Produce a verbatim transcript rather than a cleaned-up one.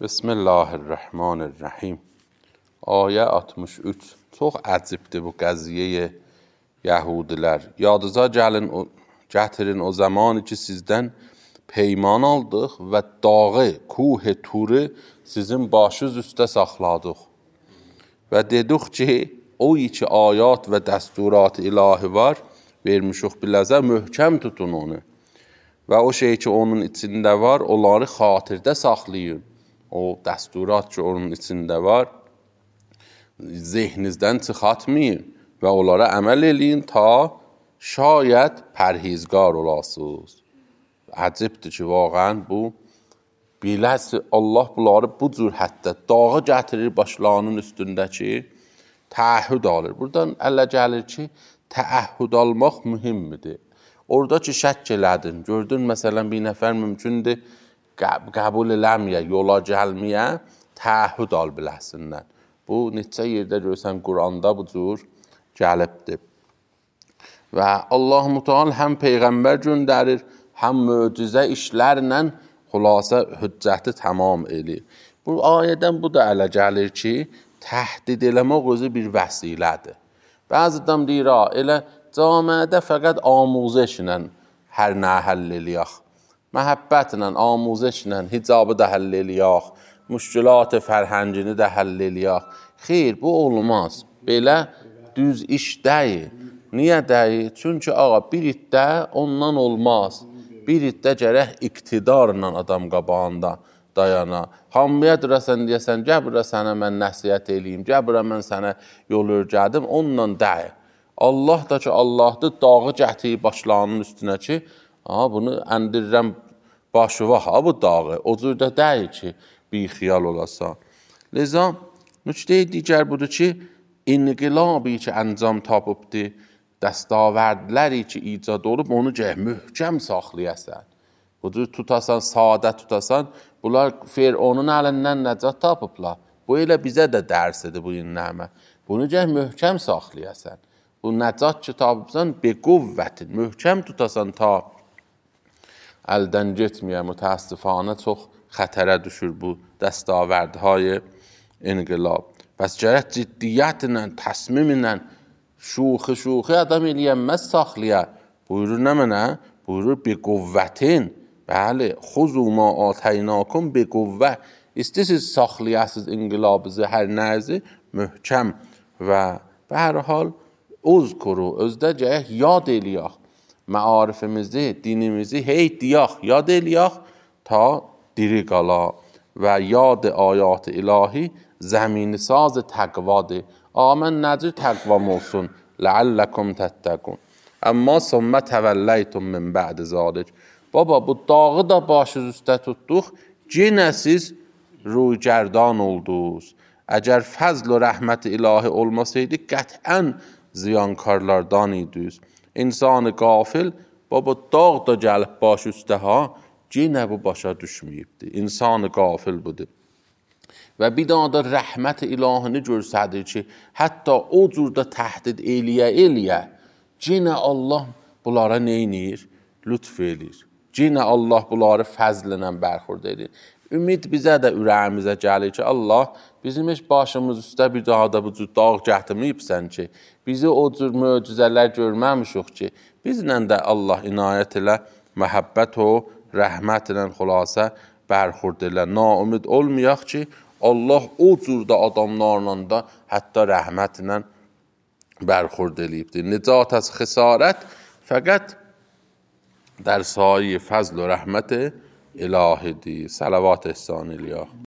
بسم الله الرحمن الرحیم. Ayə altmış üç. Çox əcibdir bu qəziyyə Yəhudilər. Yadınıza gəlin, o, gətirin o zaman ki, sizdən peyman aldıq və dağı, kuh-i turu sizin başınız üstə saxladıq. Və dedik ki, o iki ayat və dəsturat ilahi var, vermişik biləzə, möhkəm tutun onu. Və o şey ki, onun içində var, onları xatirdə saxlayın. O dəsturat ki, onun içində var, zehninizdən çıxatmayın və onlara əməl eləyin ta şayət pərhizgar olasınız. Əcibdir ki, vaqən bu, biləsi Allah bunları bu cür hətta dağı gətirir başlarının üstündəki, təəhhüd alır. Buradan ələ gəlir ki, təəhhüd almaq mühimmidir. Orada ki, şək elədin, gördün, məsələn, bir nəfər mümkündür, qəbul eləməyə, yola gəlməyə, təəhhüd al biləsindən. Bu, neçə yerdə görsən, Quranda bu cür gəlibdir. Və Allah-u Teala həm Peyğəmbər göndərir, həm möcüzə işlərlə xülasə hüccəti tamam eləyir. Bu ayədən bu da ələ gəlir ki, təhdid eləmək özü bir vəsilədir. Bəzi adam deyir, elə camiədə fəqət amuzişlə hər nə həll eləyək. Məhəbbətlə, amuzişlə, hicabı da həll eləyək, müşkülat fərhəngini də həll eləyək. Xeyr, bu olmaz. Belə düz iş deyil. Niyə deyil? Çünki ağa, bir iddə ondan olmaz. Bir iddə gərək iqtidarla adam qabağında dayana. Hamıya durəsən deyəsən, gəbirə sənə mən nəsiyyət eləyim, gəbirə mən sənə yol örgədim, onunla deyil. Allah da ki, Allahdır, dağı gətirib başlarının üstünə ki, aha, bunu əndirirəm başıva, ha, bu dağı. O cür də deyil ki, bir xiyal olasa. Liza, nüqtə digər budur ki, inqilabi ki, əncam tapıbdır, dəstavərdləri ki, icad olub, onu gəh möhkəm saxlayasən. Bu cür tutasan, sadə tutasan, bunlar Fironun əlindən nəcat tapıblar. Bu elə bizə də dərsidir bu innəmə. Bunu gəh möhkəm saxlayasən. Bu nəcat ki, tapıbsan, be quvvətin, möhkəm tutasan ta əldən getməyə, mütəəssifanə çox xətərə düşür bu dəstavərdهای inqilab. Bəs gərək ciddiyyətlə, təsmimlə, şuxi-şuxi adam eləyənməz saxlaya. Buyurur nə mənə? Buyurur, bi quvvətin. Bəli, xuzu ma atəynakum bi quvvə. İstəsiz saxlayasız inqilabınızı, hər nəzi möhkəm və və hər hal uzkuru, özdə gərək yad eləyək. Məarifimizi, dinimizi hey deyək, yad eləyək ta diri qala və yad ayat ilahi zəmini saz təqvadır. Amən nəcür təqvam olsun, ləalləkum təttəqun. Əmma sümmə təvəlləytum min bə'd zalik. Baba, bu dağı da başınız üstə tutduq, yenə siz ruygerdan oldunuz. Əgər fəzl və rəhmət ilahi olmasaydı, qətən ziyankarlardan idiniz. İnsanı qafil, baba, dağ da gəlib baş üstə ha, yenə bu başa düşməyibdir. İnsanı qafil budur. Və bir daha da rəhmət ilahini görsədir ki, hətta o cürdə təhdid eləyə-eləyə, yenə Allah bunlara neynir? Lütf eləyir. Yenə Allah bunları fəzllə bərxurd edir. Ümid bizə də ürəyimizə gəlir ki, Allah bizim heç başımız üstə bir daha da bu cür dağ gətirməyibsən ki, bizi o cür möcüzələr görməmişik ki, bizlə də Allah inayət ilə, məhəbbət o, rəhmət ilə xülasə bərxurd elə. Naümid olmayaq ki, Allah o cürdə adamlarla da hətta rəhmətlə bərxurd eləyibdir. Nicat az xisarət fəqət در سایه فضل و رحمت الهی دی. صلوات احسان الیا.